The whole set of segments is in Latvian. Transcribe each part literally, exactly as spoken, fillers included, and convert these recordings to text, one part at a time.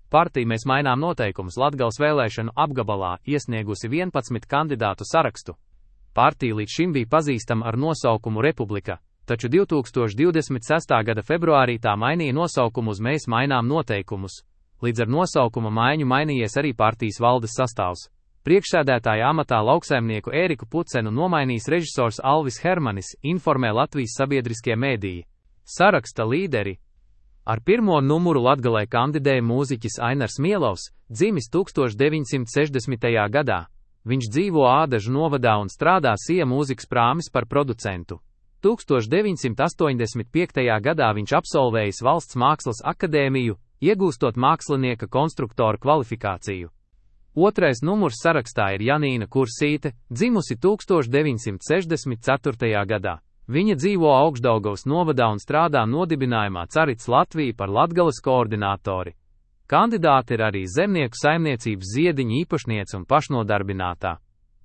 Partija Mēs mainām noteikumus Latgales vēlēšanu apgabalā iesniegusi vienpadsmit kandidātu sarakstu. Partija līdz šim bija pazīstama ar nosaukumu Republika, taču divi tūkstoši divdesmit sestā gada februārī tā mainīja nosaukumu uz Mēs mainām noteikumus. Līdz ar nosaukuma maiņu mainījies arī partijas valdes sastāvs. Priekšsēdētāja amatā lauksaimnieku Ēriku Pucenu nomainījis režisors Alvis Hermanis, informē Latvijas sabiedriskie mēdīji. Saraksta līderi. Ar pirmo numuru Latgalē kandidēja mūziķis Ainars Mielovs, dzimis tūkstoš deviņsimt sešdesmitajā gadā. Viņš dzīvo Ādažu novadā un strādā Sija mūzikas prāmis par producentu. tūkstoš deviņsimt astoņdesmit piektajā gadā viņš absolvējis Valsts mākslas akadēmiju, iegūstot mākslinieka konstruktora kvalifikāciju. Otrais numurs sarakstā ir Janīna Kursīte, dzimusi tūkstoš deviņsimt sešdesmit ceturtajā gadā. Viņa dzīvo Augšdaugavas novadā un strādā nodibinājumā Carits Latvija par Latgales koordinātori. Kandidāte ir arī zemnieku saimniecības ziediņa īpašniece un pašnodarbinātā.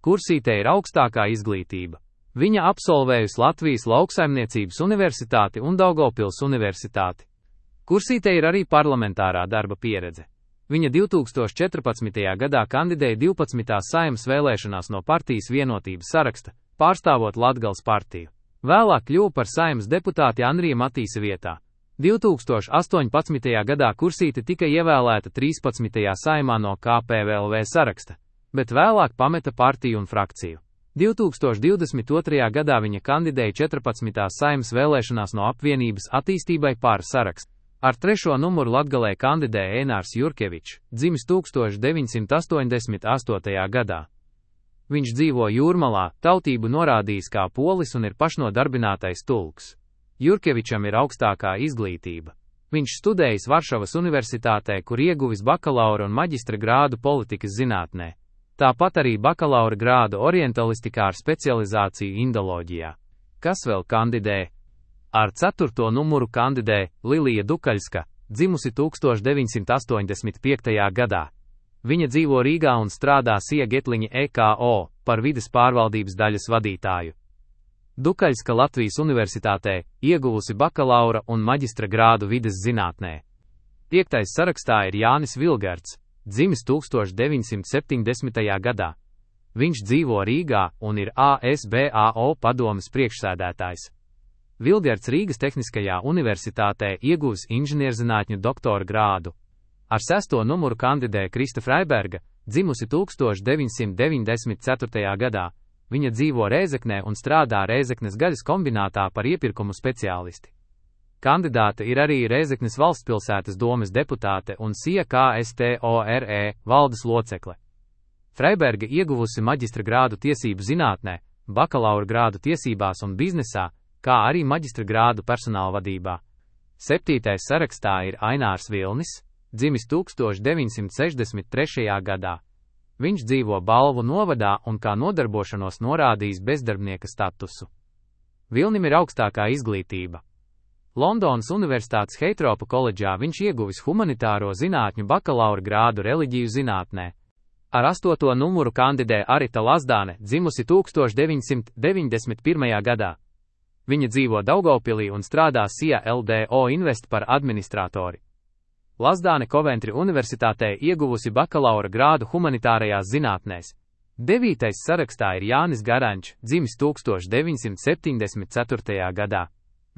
Kursītei ir augstākā izglītība. Viņa absolvējusi Latvijas lauksaimniecības universitāti un Daugavpils universitāti. Kursītei ir arī parlamentārā darba pieredze. Viņa divi tūkstoši četrpadsmitajā gadā kandidēja divpadsmitās Saeimas vēlēšanās no partijas Vienotības saraksta, pārstāvot Latgales partiju. Vēlāk kļuva par Saeimas deputāti Anrija Matīsa vietā. divi tūkstoši astoņpadsmitajā gadā Kursīte tika ievēlēta trīspadsmitajā Saeimā no K P V L V saraksta, bet vēlāk pameta partiju un frakciju. divi tūkstoši divdesmit otrajā gadā viņa kandidēja četrpadsmitās Saeimas vēlēšanās no Apvienības attīstībai pār sarakstu. Ar trešo numuru Latgalē kandidēja Ēnārs Jurkevičs, dzimis tūkstoš deviņsimt astoņdesmit astotajā gadā. Viņš dzīvo Jūrmalā, tautību norādījis kā polis un ir pašnodarbinātais tulks. Jurkevičam ir augstākā izglītība. Viņš studējis Varšavas universitātē, kur ieguvis bakalaura un maģistra grādu politikas zinātnē. Tāpat arī bakalaura grādu orientalistikā ar specializāciju indoloģijā. Kas vēl kandidē? Ar ceturto numuru kandidē Lilija Dukaļska, dzimusi tūkstoš deviņsimt astoņdesmit piektajā gadā. Viņa dzīvo Rīgā un strādā Sija Getliņa E K O par vides pārvaldības daļas vadītāju. Dukaļska Latvijas universitātē ieguvusi bakalaura un maģistra grādu vides zinātnē. Piektais sarakstā ir Jānis Vilgards, dzimis tūkstoš deviņsimt septiņdesmitajā gadā. Viņš dzīvo Rīgā un ir A S B A O padomes priekšsēdētājs. Vilgards Rīgas Tehniskajā universitātē ieguvis inženierzinātņu doktora grādu. Ar sesto numuru kandidē Krista Freiberga, dzimusi tūkstoš deviņsimt deviņdesmit ceturtajā gadā. Viņa dzīvo Rēzeknē un strādā Rēzeknes gaļas kombinātā par iepirkumu speciālisti. Kandidāte ir arī Rēzeknes valstspilsētas domes deputāte un Sija K S T O R E valdes locekle. Freiberga ieguvusi maģistra grādu tiesību zinātnē, bakalaura grādu tiesībās un biznesā, kā arī maģistra grādu personāla vadībā. Septītais sarakstā ir Ainārs Vilnis, dzimis tūkstoš deviņsimt sešdesmit trešajā gadā. Viņš dzīvo Balvu novadā un kā nodarbošanos norādījis bezdarbnieka statusu. Vilnim ir augstākā izglītība. Londonas Universitātes Heitropa koledžā viņš ieguvis humanitāro zinātņu bakalaura grādu reliģiju zinātnē. Ar astoto numuru kandidē Arita Lazdāne, dzimusi tūkstoš deviņsimt deviņdesmit pirmajā gadā. Viņa dzīvo Daugavpilī un strādā Sija L D O Invest par administratori. Lazdāne Coventry universitātē ieguvusi bakalaura grādu humanitārajās zinātnēs. Devītais sarakstā ir Jānis Garančs, dzimis tūkstoš deviņsimt septiņdesmit ceturtajā gadā.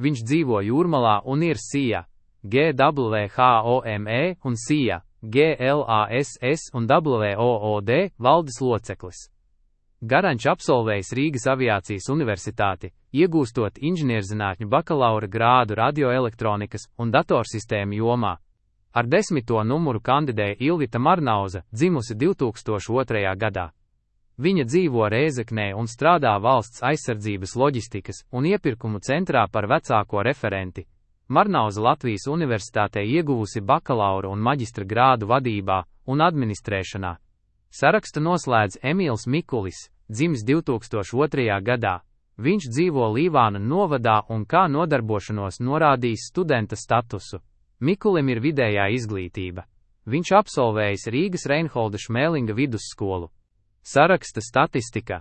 Viņš dzīvo Jūrmalā un ir Sija, G W H O M E un Sija, G L A S S un W O O D valdes loceklis. Garančs absolvējis Rīgas aviācijas universitāti, iegūstot inženierzinātņu bakalaura grādu radioelektronikas un datorsistēmu jomā. Ar desmito numuru kandidēja Ilvita Marnauza, dzimusi divi tūkstoši otrajā gadā. Viņa dzīvo Rēzeknē un strādā valsts aizsardzības loģistikas un iepirkumu centrā par vecāko referenti. Marnauza Latvijas universitātē ieguvusi bakalaura un maģistra grādu vadībā un administrēšanā. Sarakstu noslēdz Emīls Mikulis, dzimis divi tūkstoši otrajā gadā. Viņš dzīvo Līvāna novadā un kā nodarbošanos norādījis studenta statusu. Mikulim ir vidējā izglītība. Viņš absolvējis Rīgas Reinholda Šmēlinga vidusskolu. Saraksta statistika.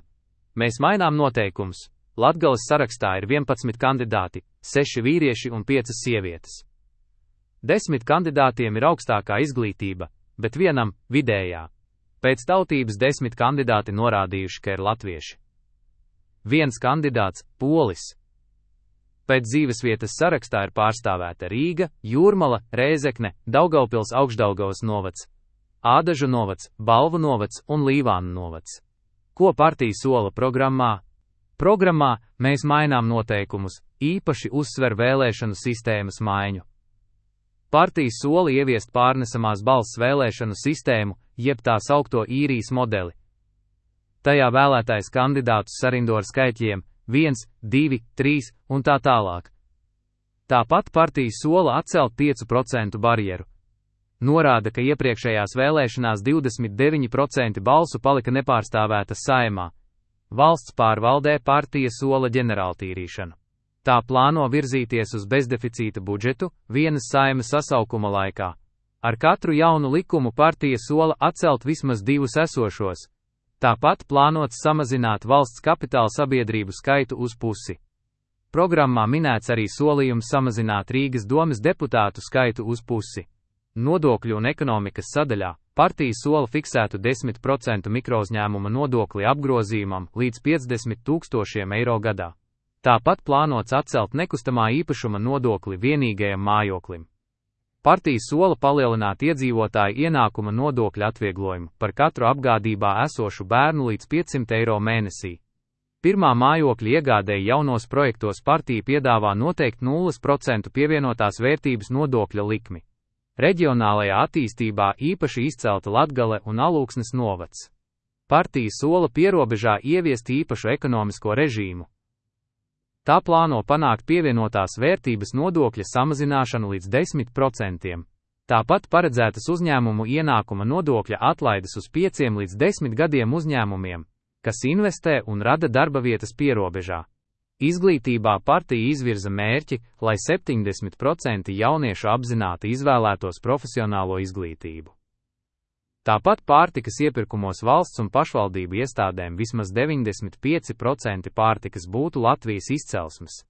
Mēs mainām noteikumus. Latgales sarakstā ir vienpadsmit kandidāti, seši vīrieši un piecas sievietes. Desmit kandidātiem ir augstākā izglītība, bet vienam – vidējā. Pēc tautības desmit kandidāti norādījuši, ka ir latvieši. Viens kandidāts – polis. Pēc dzīvesvietas sarakstā ir pārstāvēta Rīga, Jūrmala, Rēzekne, Daugavpils Augšdaugavas novads, Ādažu novads, Balvu novads un Līvānu novads. Ko partija sola programmā? Programmā mēs mainām noteikumus, īpaši uzsver vēlēšanu sistēmas maiņu. Partija sola ieviest pārnesamās balss vēlēšanu sistēmu, jeb tā saukto īrijas modeli. Tajā vēlētais kandidātus sarindo ar skaitļiem viens, divi, trīs un tā tālāk. Tāpat partija sola atcelt piecu procentu barjeru. Norāda, ka iepriekšējās vēlēšanās divdesmit deviņi procenti balsu palika nepārstāvētas Saeimā. Valsts pārvaldē partija sola ģenerāltīrīšanu. Tā plāno virzīties uz bezdeficīta budžetu vienas Saimas sasaukuma laikā. Ar katru jaunu likumu partija sola atcelt vismaz divus esošos. Tāpat plānots samazināt valsts kapitāla sabiedrību skaitu uz pusi. Programmā minēts arī solījums samazināt Rīgas domes deputātu skaitu uz pusi. Nodokļu un ekonomikas sadaļā partija sola fiksētu desmit procentu mikrouzņēmuma nodokli apgrozījumam līdz piecdesmit tūkstošiem eiro gadā. Tāpat plānots atcelt nekustamā īpašuma nodokli vienīgajam mājoklim. Partija sola palielināt iedzīvotāju ienākuma nodokļa atvieglojumu par katru apgādībā esošu bērnu līdz piecsimt eiro mēnesī. Pirmā mājokļa iegādēji jaunos projektos partija piedāvā noteikt nulles procentu pievienotās vērtības nodokļa likmi. Reģionālajā attīstībā īpaši izcelta Latgale un Alūksnes novads. Partija sola pierobežā ieviest īpašu ekonomisko režīmu. Tā plāno panākt pievienotās vērtības nodokļa samazināšanu līdz desmit procentiem. Tāpat paredzētas uzņēmumu ienākuma nodokļa atlaides uz pieciem līdz desmit gadiem uzņēmumiem, kas investē un rada darba vietas pierobežā. Izglītībā partija izvirza mērķi, lai septiņdesmit procenti jauniešu apzināti izvēlētos profesionālo izglītību. Tāpat pārtikas iepirkumos valsts un pašvaldību iestādēm vismaz deviņdesmit pieci procenti pārtikas būtu Latvijas izcelsmes.